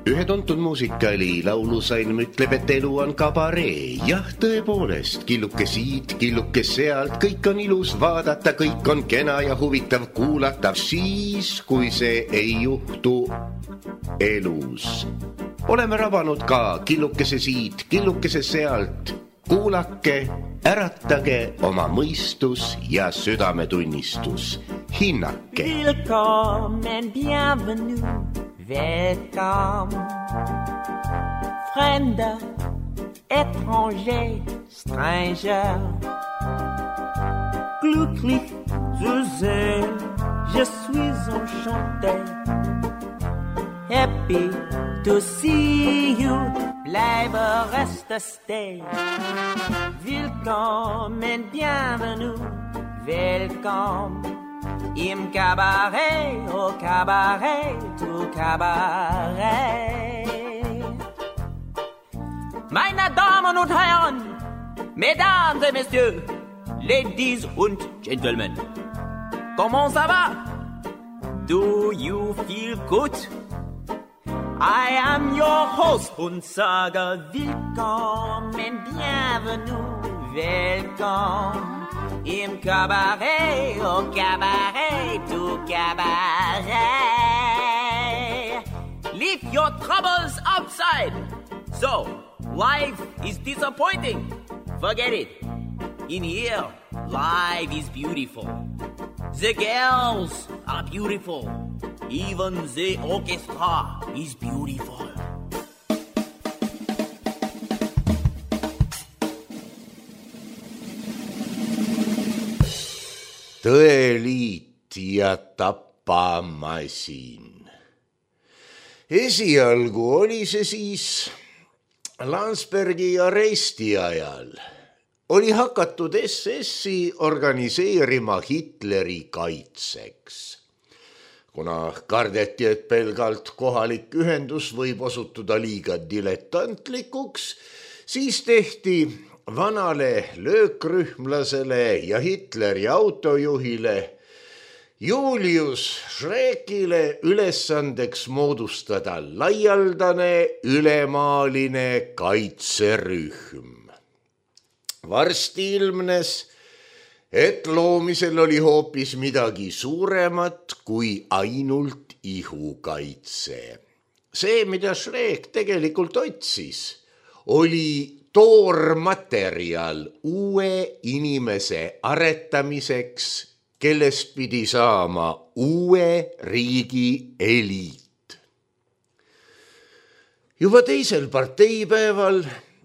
Ühe tuntud muusikali laulusalm ütleb, et elu on kabaree. Jah, tõepoolest, killuke siit, killuke sealt, kõik on ilus vaadata, kõik on kena ja huvitav kuulata. Siis, kui see ei juhtu elus. Oleme rabanud ka killukese siit, killukese sealt. Kuulake, äratage oma mõistus ja südametunnistus. Hinnake. Willkommen, bienvenue. Welcome, Fremder, étranger, stranger. Glücklich zu sehen, je suis enchanté. Happy to see you, bleibe, reste, stay. Willkommen, bienvenue, welcome. Im Cabaret, au Cabaret, tout Cabaret. Meine Damen und Herren, Mesdames et Messieurs, Ladies und Gentlemen, comment ça va? Do you feel good? I am your host und sage willkommen, bienvenue, welcome. Im Cabaret, au Cabaret, tout Cabaret. Leave your troubles outside. So, life is disappointing. Forget it. In here, life is beautiful. The girls are beautiful. Even the orchestra is beautiful. Tõeliit ja tapamasin. Esialgu oli see siis Landsbergi aresti ajal. Oli hakatud SS-i organiseerima Hitleri kaitseks. Kuna kardeti, et pelgalt kohalik ühendus võib osutuda liiga diletantlikuks, siis tehti vanale löökrühmlasele ja Hitleri autojuhile Julius Schreckile ülesandeks moodustada laialdane ülemaaline kaitserühm. Varsti ilmnes, et loomisel oli hoopis midagi suuremat kui ainult ihukaitse. See, mida Schreck tegelikult otsis, oli toormaterjal uue inimese aretamiseks, kellest pidi saama uue riigi eliit. Juba teisel parteipäeval,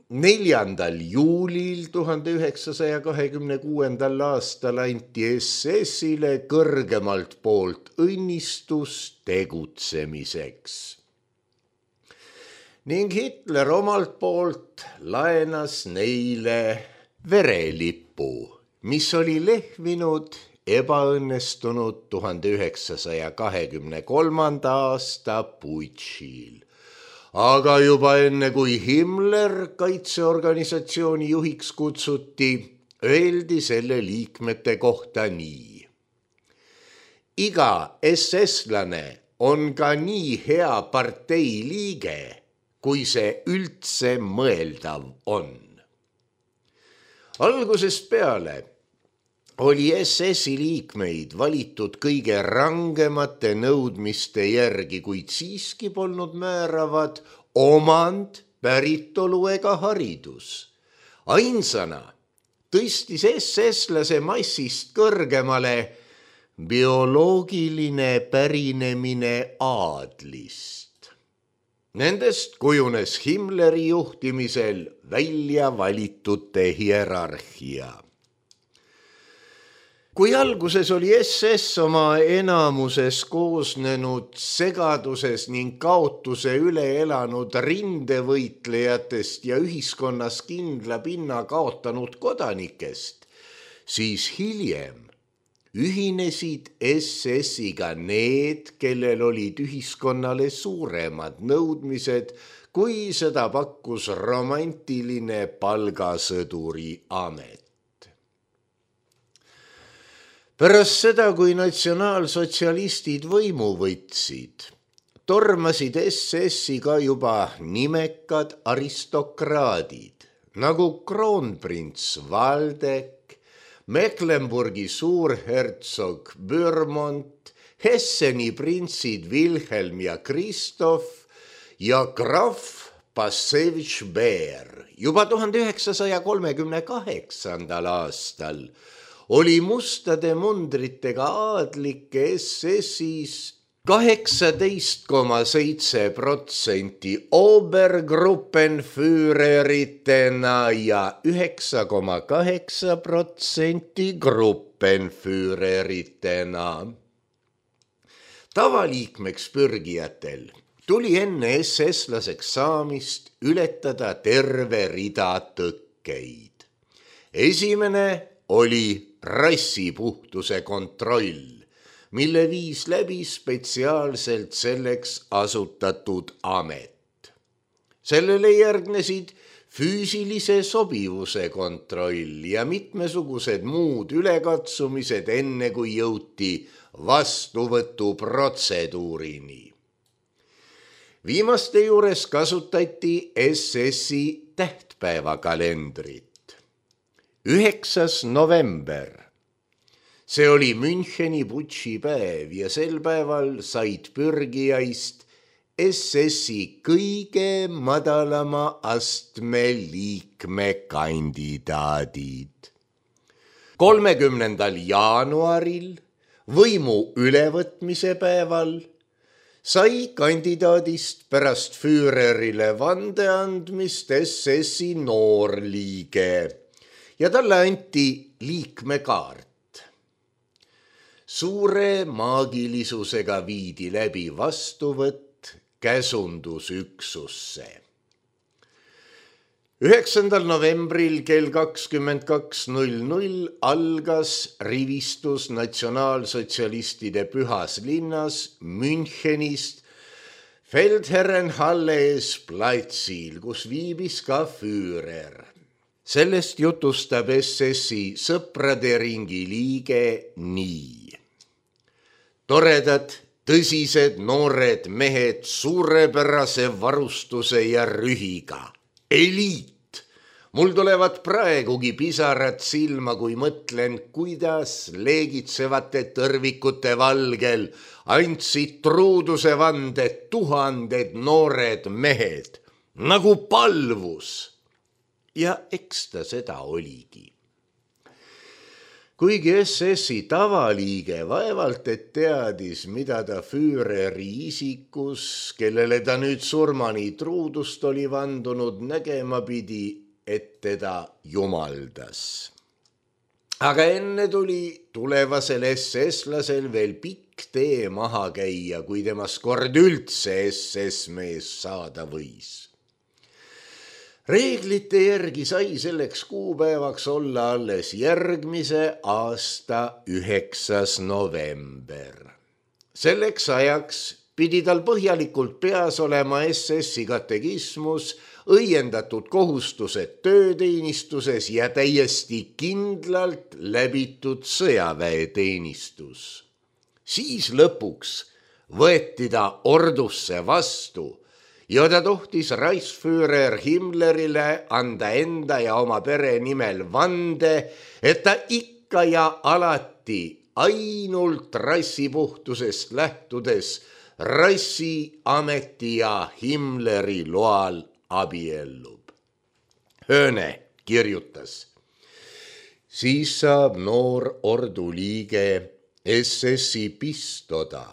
4. juulil 1926. aastal anti SS-ile kõrgemalt poolt õnnistus tegutsemiseks. Ning Hitler omalt poolt laenas neile verelippu, mis oli lehvinud ebaõnnestunud 1923. aasta putšil. Aga juba enne, kui Himmler kaitseorganisatsiooni juhiks kutsuti, öeldi selle liikmete kohta nii. Iga SS-lane on ka nii hea partei liige, kui see üldse mõeldav on. Algusest peale oli SS-i liikmeid valitud kõige rangemate nõudmiste järgi, kuid siiski polnud määravad omand, päritolu ega haridus. Ainsana tõstis SS-lase massist kõrgemale bioloogiline pärinemine aadlist. Nendest kujunes Himmleri juhtimisel välja valitute hierarhia. Kui alguses oli SS oma enamuses koosnenud segaduses ning kaotuse üle elanud rindevõitlejatest ja ühiskonnas kindla pinna kaotanud kodanikest, siis hiljem ühinesid SS-iga need, kellel olid ühiskonnale suuremad nõudmised, kui seda pakkus romantiline palgasõduri amet. Pärast seda, kui natsionaalsotsialistid võimu võtsid, tormasid SS-i ka juba nimekad aristokraadid, nagu kroonprints Waldeck, Mecklenburgi suurhertsog Bürmont, Hesseni printsid Wilhelm ja Christoph ja graf Passevitš Beer. Juba 1938. aastal oli mustade mundritega aadlikke SS-is 18,7% Obergruppenführeritena ja 9,8% Gruppenführeritena. Tavaliikmeks pürgijatel tuli enne SS-laseks saamist ületada terve rida tõkkeid. Esimene oli rassipuhtuse kontroll, mille viis läbi spetsiaalselt selleks asutatud amet. Sellele järgnesid füüsilise sobivuse kontroll ja mitmesugused muud ülekatsumised, enne kui jõuti vastuvõtuprotseduurini. Viimaste juures kasutati SS-i tähtpäevakalendrit. 9. november. See oli Müncheni putši päev ja sel päeval said pürgijaist SS-i kõige madalama astme liikmekandidaadid. 30. jaanuaril võimu ülevõtmise päeval sai kandidaadist pärast Führerile vande andmist SS-i noorliige ja talle anti liikmekaart. Suure maagilisusega viidi läbi vastuvõtt käsundusüksusse. 9. novembril kell 22.00 algas rivistus natsionaalsotsialistide pühas linnas Münchenist Feldherrenhalle ees platsil, kus viibis ka Führer. Sellest jutustab SS-i sõprade ringi liige nii. Toredad, tõsised noored mehed suurepärase varustuse ja rühiga. Eliit! Mul tulevad praegugi pisarad silma, kui mõtlen, kuidas leegitsevate tõrvikute valgel andsid truuduse vande 1000 noored mehed, nagu palvus. Ja eks ta seda oligi. Kuigi SS-i tavaliige vaevalt et teadis, mida ta Führeri isikus, kellele ta nüüd surmani truudust oli vandunud, nägema pidi, et teda jumaldas. Aga enne tuli tulevasel SS-lasel veel pikk tee maha käia, kui temast kord üldse SS-mees saada võis. Reeglite järgi sai selleks kuupäevaks olla alles järgmise aasta 9. november. Selleks ajaks pidi tal põhjalikult peas olema SS-i katekismus, õiendatud kohustused tööteenistuses ja täiesti kindlalt läbitud sõjaväeteenistus. Siis lõpuks võeti ta ordusse vastu ja ta tohtis Reichsführer Himmlerile anda enda ja oma pere nimel vande, et ta ikka ja alati ainult rassipuhtusest lähtudes rassiameti ja Himmleri loal abiellub. Hööne kirjutas. Siis saab noor ordu liige SS-i pistoda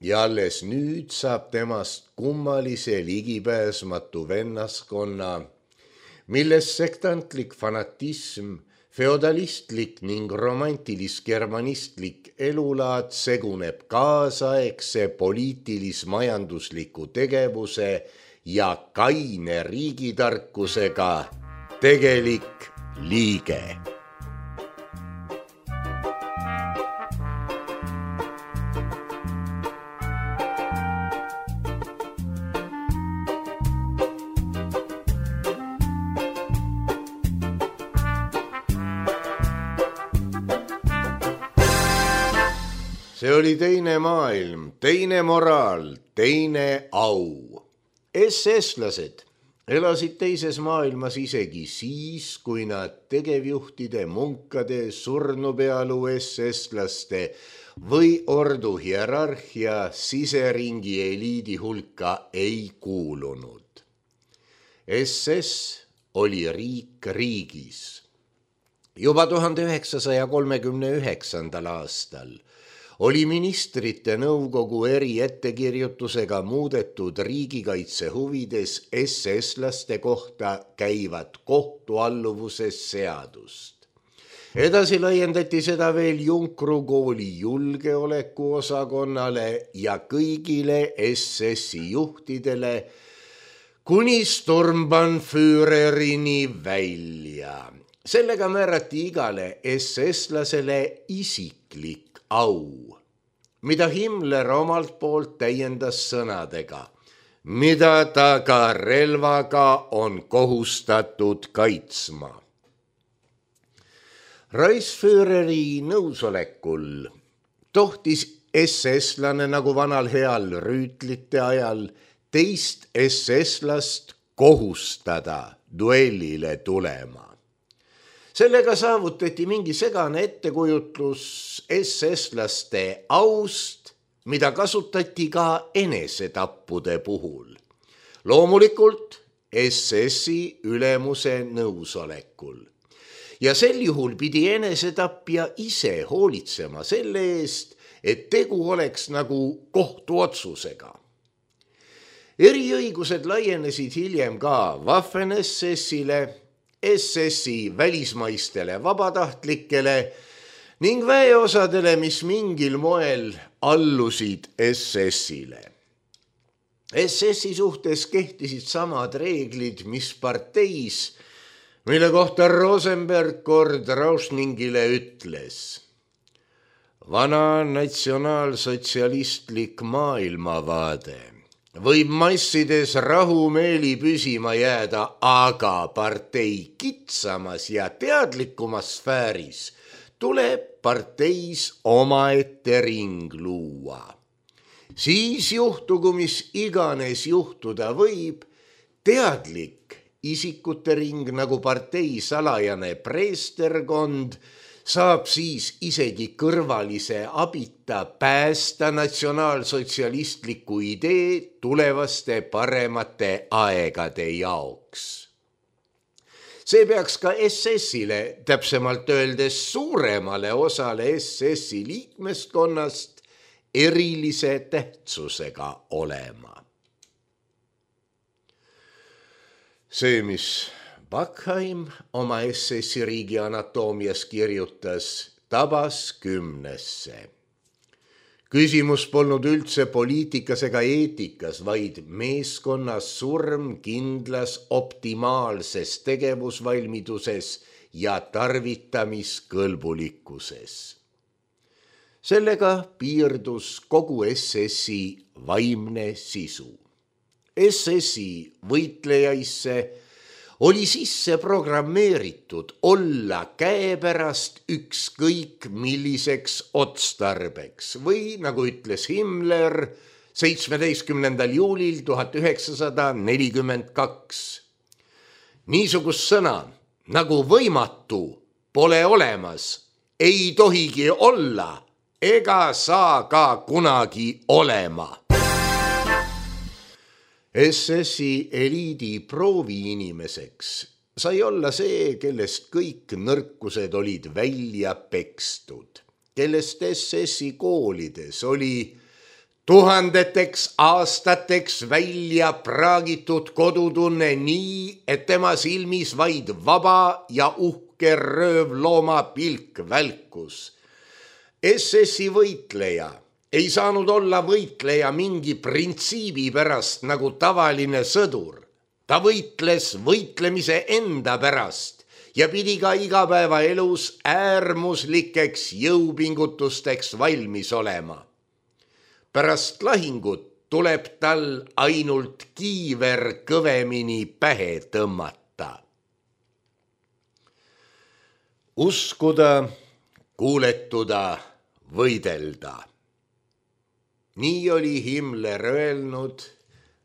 ja alles nüüd saab temast kummalise ligipääsmatu vennaskonna, milles sektantlik fanatism, feodalistlik ning romantilis-germanistlik elulaad seguneb kaasaegse poliitilis-majandusliku tegevuse ja kaine riigitarkusega tegelik liige. See oli teine maailm, teine moraal, teine au. SS-lased elasid teises maailmas isegi siis, kui nad tegevjuhtide, munkade, surnupealu SS-laste või ordu hierarhia siseringi eliidi hulka ei kuulunud. SS oli riik riigis. Juba 1939. aastal oli ministrite nõukogu eri ettekirjutusega muudetud riigikaitse huvides SS-laste kohta käivat kohtualluvuses seadust. Edasi laiendati seda veel Junkru kooli julgeolekuosakonnale ja kõigile SS-i juhtidele kuni Sturmbannführerini välja. Sellega määrati igale SS-lasele isiklik au, mida Himmler omalt poolt täiendas sõnadega, mida ta ka relvaga on kohustatud kaitsma. Reichsführeri nõusolekul tohtis SS-lane nagu vanal heal rüütlite ajal teist SS-last kohustada duellile tulema. Sellega saavutati mingi segane ettekujutlus SS-laste aust, mida kasutati ka enesetappude puhul. Loomulikult SS-i ülemuse nõusolekul. Ja sel juhul pidi enesetapja ise hoolitsema selle eest, et tegu oleks nagu kohtuotsusega. Eriõigused laienesid hiljem ka Waffen-SS-ile, SS-i välismaistele vabatahtlikele ning väeosadele, mis mingil moel allusid SS-ile. SS-i suhtes kehtisid samad reeglid, mis parteis, mille kohta Rosenberg kord Rauschningile ütles: vana natsionaalsotsialistlik maailmavaade võib massides rahumeeli püsima jääda, aga partei kitsamas ja teadlikumas sfääris tuleb parteis omaette ring luua. Siis juhtugu, mis iganes juhtuda võib, teadlik isikute ring nagu partei salajane preesterkond saab siis isegi kõrvalise abita päästa natsionaalsotsialistliku idee tulevaste paremate aegade jaoks. See peaks ka SS-ile, täpsemalt öeldes suuremale osale SS-i liikmeskonnast erilise tähtsusega olema. See, mis Backheim oma SS-i riigi anatoomias kirjutas, tabas 10. Küsimus polnud üldse poliitikas ega eetikas, vaid meeskonnas surm kindlas optimaalses tegevusvalmiduses ja tarvitamiskõlbulikkuses. Sellega piirdus kogu SS-i vaimne sisu. SS-i võitlejaisse oli sisse programmeeritud olla käepärast ükskõik milliseks otstarbeks või, nagu ütles Himmler 17. juulil 1942. Niisugust sõna nagu võimatu pole olemas, ei tohigi olla ega saa ka kunagi olema. SS-i eliidi prooviinimeseks sai olla see, kellest kõik nõrkused olid välja pekstud, kellest SS-i koolides oli tuhandeteks aastateks välja praagitud kodutunne nii, et tema silmis vaid vaba ja uhke röövlooma pilk välkus. SS-i võitleja ei saanud olla võitleja mingi printsiibi pärast nagu tavaline sõdur. Ta võitles võitlemise enda pärast ja pidi ka igapäevaelus äärmuslikeks jõupingutusteks valmis olema. Pärast lahingut tuleb tal ainult kiiver kõvemini pähe tõmmata. Uskuda, kuuletuda, võidelda. Nii oli Himmler öelnud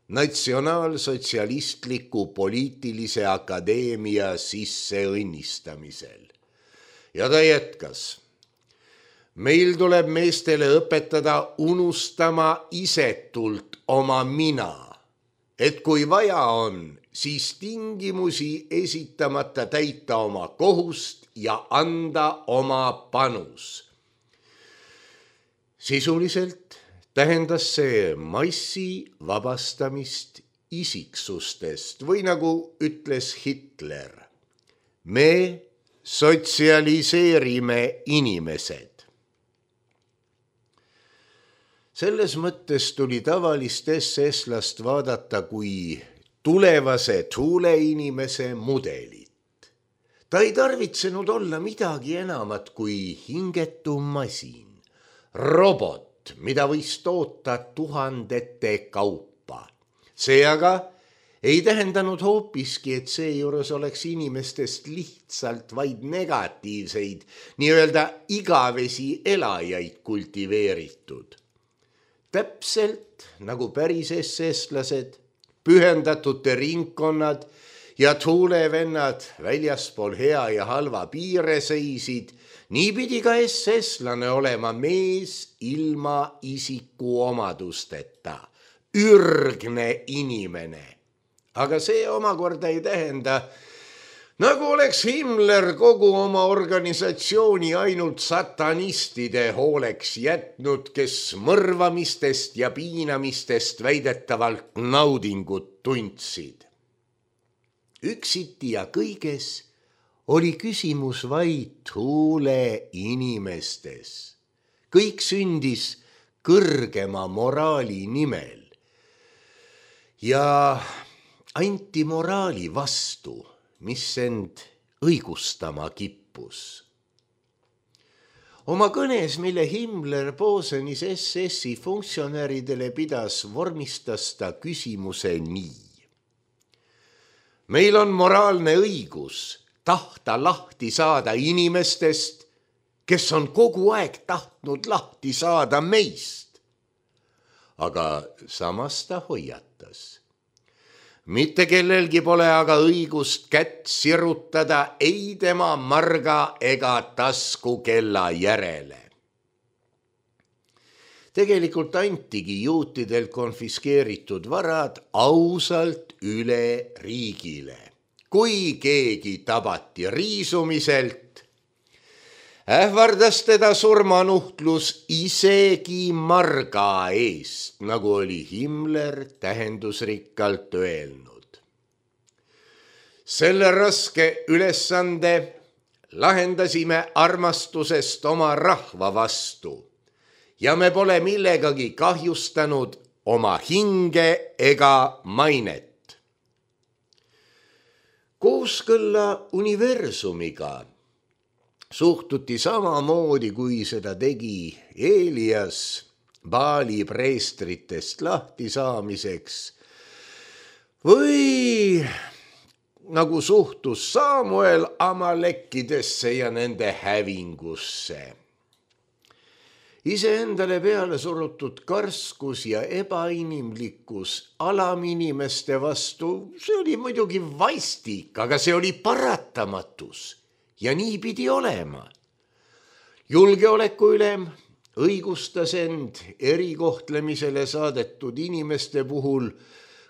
Natsionaalsotsialistliku poliitilise akadeemia sisseõnnistamisel. Ja ta jätkas. Meil tuleb meestele õpetada unustama isetult oma mina, et kui vaja on, siis tingimusi esitamata täita oma kohust ja anda oma panus. Sisuliselt tähendas see massi vabastamist isiksustest või nagu ütles Hitler, me sotsialiseerime inimesed. Selles mõttes tuli tavalist SS-last vaadata kui tulevase tuuleinimese mudelit. Ta ei tarvitsenud olla midagi enamat kui hingetu masin, robot, mida võis toota tuhandete kaupa. See aga ei tähendanud hoopiski, et seejuures oleks inimestest lihtsalt vaid negatiivseid, nii-öelda igavesi elajaid kultiveeritud. Täpselt nagu päris SS-lased, pühendatute ringkonnad ja tuulevennad väljaspool hea ja halva piire seisid, nii pidi ka SS-lane olema mees ilma isikuomadusteta, ürgne inimene. Aga see omakorda ei tähenda, nagu oleks Himmler kogu oma organisatsiooni ainult satanistide hooleks jätnud, kes mõrvamistest ja piinamistest väidetavalt naudingut tundsid. Üksiti ja kõiges oli küsimus vaid tuule inimestes. Kõik sündis kõrgema moraali nimel ja anti moraali vastu, mis end õigustama kippus. Oma kõnes, mille Himmler Posenis SS-i funktsionäridele pidas, vormistas ta küsimuse nii. Meil on moraalne õigus tahta lahti saada inimestest, kes on kogu aeg tahtnud lahti saada meist. Aga samas ta hoiatas. Mitte kellelgi pole aga õigust kätt sirutada ei tema marga ega taskukella järele. Tegelikult antigi juutidelt konfiskeeritud varad ausalt üle riigile. Kui keegi tabati riisumiselt, ähvardas teda surmanuhtlus isegi marga eest, nagu oli Himmler tähendusrikkalt öelnud. Selle raske ülesande lahendasime armastusest oma rahva vastu ja me pole millegagi kahjustanud oma hinge ega mainet. Kooskõlla universumiga suhtuti samamoodi, kui seda tegi Elias Baali preestritest lahti saamiseks või nagu suhtus Samuel amalekkidesse ja nende hävingusse. Iseendale peale surutud karskus ja ebainimlikkus alaminimeste vastu, see oli muidugi vaistik, aga see oli paratamatus ja nii pidi olema. Julgeolekuülem õigustas end erikohtlemisele saadetud inimeste puhul,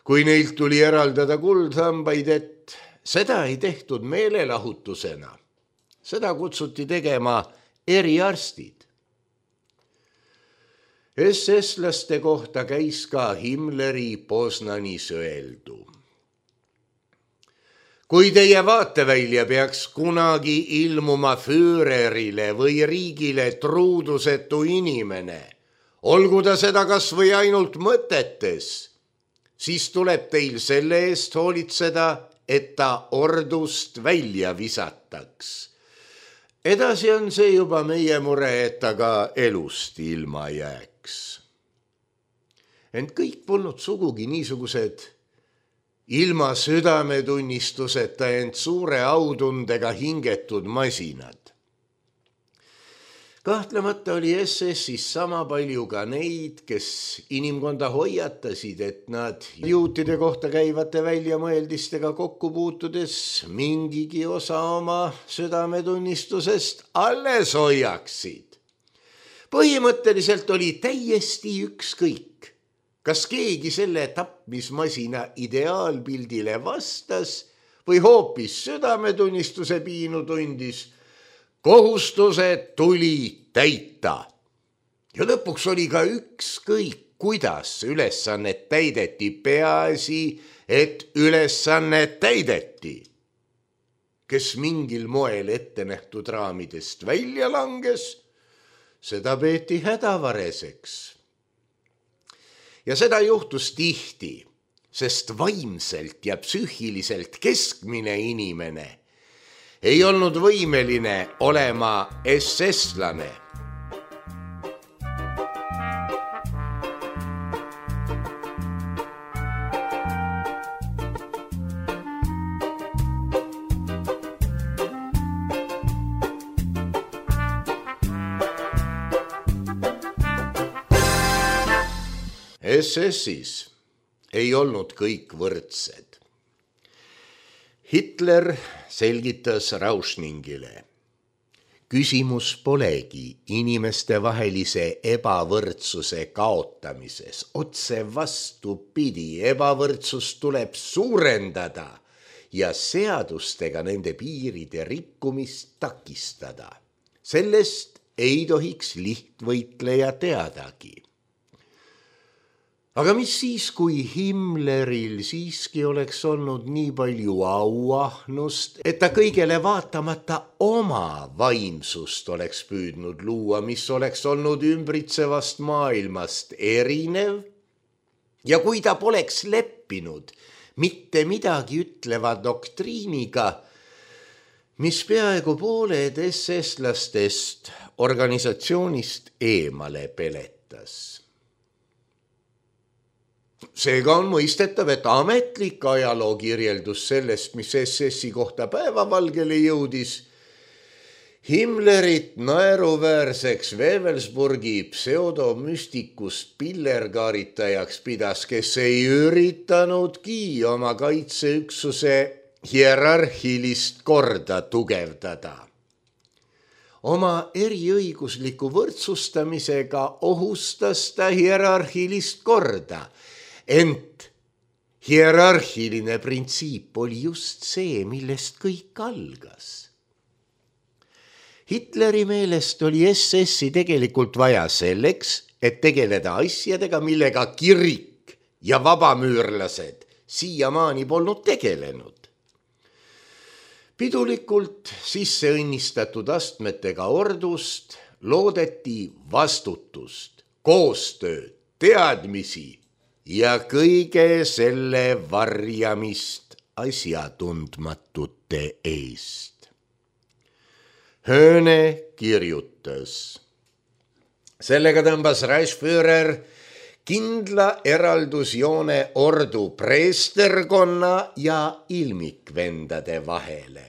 kui neilt tuli eraldada kuldhambaid, et seda ei tehtud meelelahutusena. Seda kutsuti tegema eriarstid. SS-laste kohta käis ka Himmleri Poznanis öeldu. Kui teie vaatevälja peaks kunagi ilmuma Führerile või riigile truudusetu inimene, olgu ta seda kas või ainult mõtetes, siis tuleb teil selle eest hoolitseda, et ta ordust välja visataks. Edasi on see juba meie mure, et ta ka elust ilma jääks. Ent kõik polnud sugugi niisugused ilma südametunnistuseta ent suure autundega hingetud masinad. Kahtlemata oli SS-is sama palju ka neid, kes inimkonda hoiatasid, et nad juutide kohta käivate väljamõeldistega kokku puutudes mingigi osa oma südametunnistusest alles hoiaksid. Põhimõtteliselt oli täiesti ükskõik, kas keegi selle tapmismasina ideaalpildile vastas või hoopis südametunnistuse piinu tundis. Kohustused tuli täita. Ja lõpuks oli ka ükskõik, kuidas ülesannet täideti, peaasi, et ülesannet täideti. Kes mingil moel ette nähtud raamidest välja langes, seda peeti hädavareseks. Ja seda juhtus tihti, sest vaimselt ja psüühiliselt keskmine inimene ei olnud võimeline olema SS-lane. SS-is ei olnud kõik võrdsed. Hitler selgitas Rauschningile. Küsimus polegi inimeste vahelise ebavõrdsuse kaotamises. Otse vastupidi, ebavõrdsust tuleb suurendada ja seadustega nende piiride rikkumist takistada. Sellest ei tohiks lihtvõitleja teadagi. Aga mis siis, kui Himmleril siiski oleks olnud nii palju auahnust, et ta kõigele vaatamata oma vaimsust oleks püüdnud luua, mis oleks olnud ümbritsevast maailmast erinev? Ja kui ta poleks leppinud mitte midagi ütleva doktriiniga, mis peaaegu pooled SS-lastest organisatsioonist eemale peletas. Seega on mõistetav, et ametlik ajaloo kirjeldus sellest, mis SS-i kohta päevavalgele jõudis, Himmlerit naeruväärseks Wewelsburgi pseudomüstikust pillerkaaritajaks pidas, kes ei üritanudki oma kaitseüksuse hierarhilist korda tugevdada. Oma eriõigusliku võrdsustamisega ohustas ta hierarhilist korda, ent hierarhiline printsiip oli just see, millest kõik algas. Hitleri meelest oli SS-i tegelikult vaja selleks, et tegeleda asjadega, millega kirik ja vabamüürlased siiamaani polnud tegelenud. Pidulikult sisse õnnistatud astmetega ordust loodeti vastutust, koostööd, teadmisi ja kõige selle varjamist asjatundmatute eest. Hööne kirjutas. Sellega tõmbas Reichsführer kindla eraldusjoone ordu preesterkonna ja ilmikvendade vahele.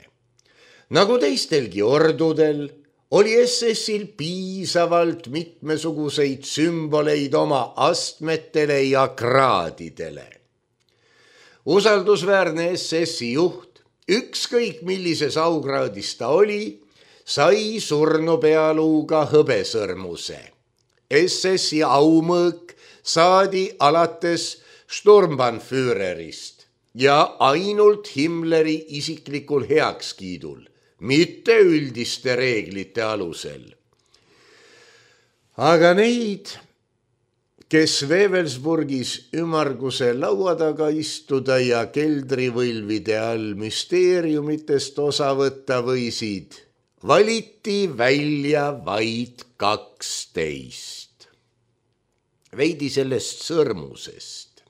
Nagu teistelgi ordudel, oli SS-il piisavalt mitmesuguseid sümboleid oma astmetele ja kraadidele. Usaldusväärne SS-i juht, ükskõik millises aukraadis ta oli, sai surnupealuuga hõbesõrmuse. SS-i aumõõk saadi alates Sturmbannführerist ja ainult Himmleri isiklikul heakskiidul, mitte üldiste reeglite alusel. Aga neid, kes Wewelsburgis ümmarguse laua taga istuda ja keldrivõlvide all müsteeriumitest osa võtta võisid, valiti välja vaid 12. Veidi sellest sõrmusest.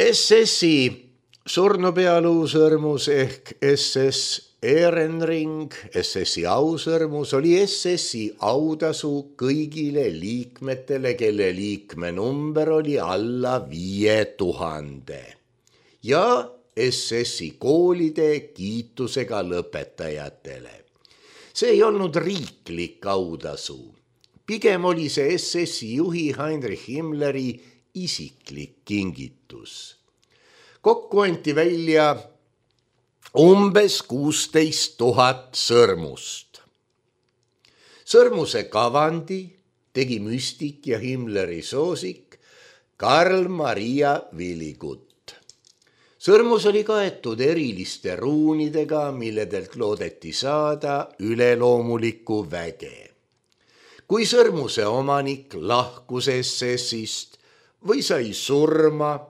SS-i surnupealuusõrmus ehk SS Ehrenring, SS-i ausõrmus oli SS-i autasu kõigile liikmetele, kelle liikmenumber oli alla 5000 ja SS-i koolide kiitusega lõpetajatele. See ei olnud riiklik autasu. Pigem oli see SS-i juhi Heinrich Himmleri isiklik kingitus. Kokku anti välja umbes 16 000 sõrmust. Sõrmuse kavandi tegi müstik ja Himmleri soosik Karl Maria Villigut. Sõrmus oli kaetud eriliste ruunidega, milledelt loodeti saada üleloomulikku väge. Kui sõrmuse omanik lahkus SS-ist või sai surma,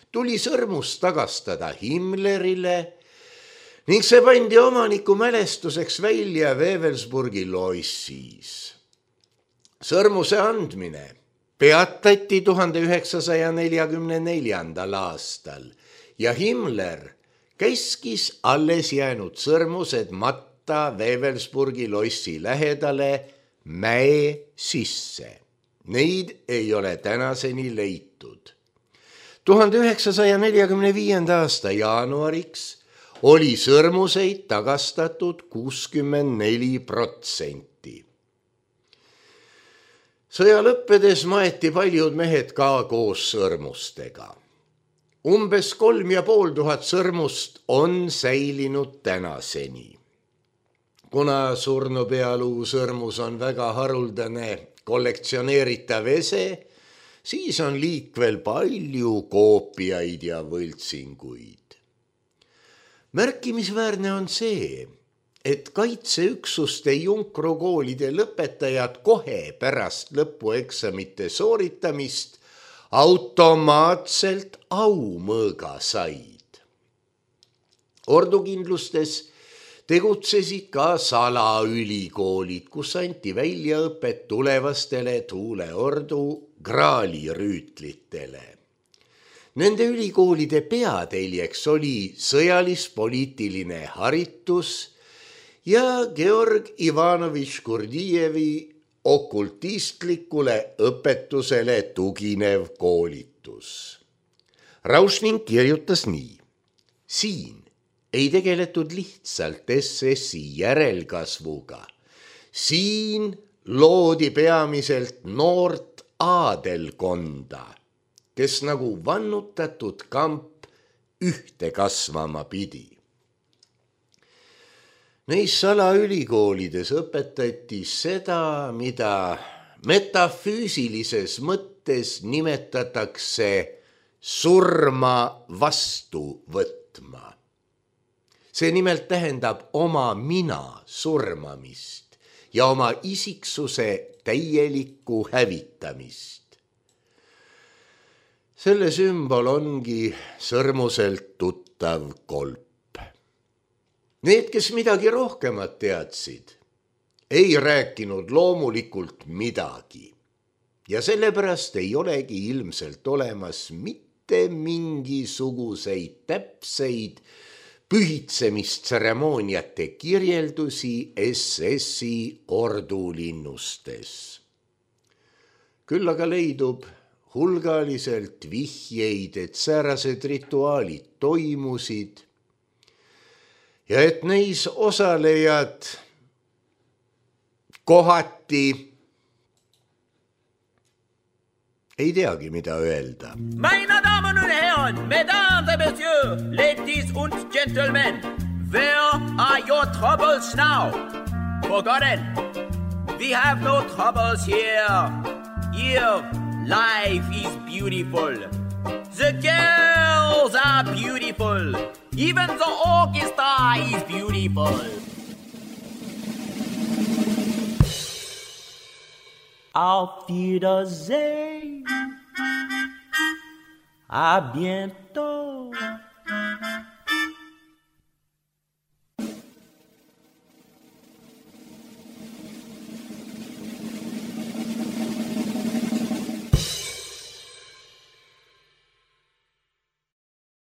tuli sõrmus tagastada Himmlerile ning see pandi omaniku mälestuseks välja Wewelsburgi lossis. Sõrmuse andmine peatati 1944. aastal ja Himmler käskis alles jäänud sõrmused matta Wewelsburgi lossi lähedale mäe sisse. Neid ei ole tänaseni leitud. 1945. aasta jaanuariks oli sõrmuseid tagastatud 64%. Sõja lõppedes maeti paljud mehed ka koos sõrmustega. Umbes 3500 sõrmust on säilinud tänaseni. Kuna surnupealuu sõrmus on väga haruldane kollektsioneeritav ese, siis on liikvel palju koopiaid ja võltsinguid. Märkimisväärne on see, et kaitseüksuste junkrukoolide lõpetajad kohe pärast lõpueksamite sooritamist automaatselt aumõõga said. Ordukindlustes tegutsesid ka salaülikoolid, kus anti väljaõpet tulevastele tuuleordu graalirüütlitele. Nende ülikoolide peateljeks oli sõjalis-poliitiline haritus ja Georg Ivanovitš Kurdijevi okultistlikule õpetusele tuginev koolitus. Rauschning kirjutas nii. Siin ei tegeletud lihtsalt SS-i järelkasvuga. Siin loodi peamiselt noort aadelkonda, kes nagu vannutatud kamp ühte kasvama pidi. Neis salaülikoolides õpetati seda, mida metafüüsilises mõttes nimetatakse surma vastu võtma. See nimelt tähendab oma mina surmamist ja oma isiksuse täielikku hävitamist. Selle sümbol ongi sõrmuselt tuttav kolp. Need, kes midagi rohkemat teadsid, ei rääkinud loomulikult midagi ja sellepärast ei olegi ilmselt olemas mitte mingisuguseid täpseid pühitsemistseremooniate kirjeldusi SS-i ordulinnustes. Küll aga leidub hulgaliselt vihjeid, et säärased rituaalid toimusid ja et neis osalejad kohati ei teagi, mida öelda. Meine Damen und Herren, Mesdames et Messieurs, ladies und Gentlemen, where are your troubles now? Forgotten. We have no troubles here. Here, life is beautiful. The girls are beautiful. Even the orchestra is beautiful. Auf Wiedersehen. À bientôt.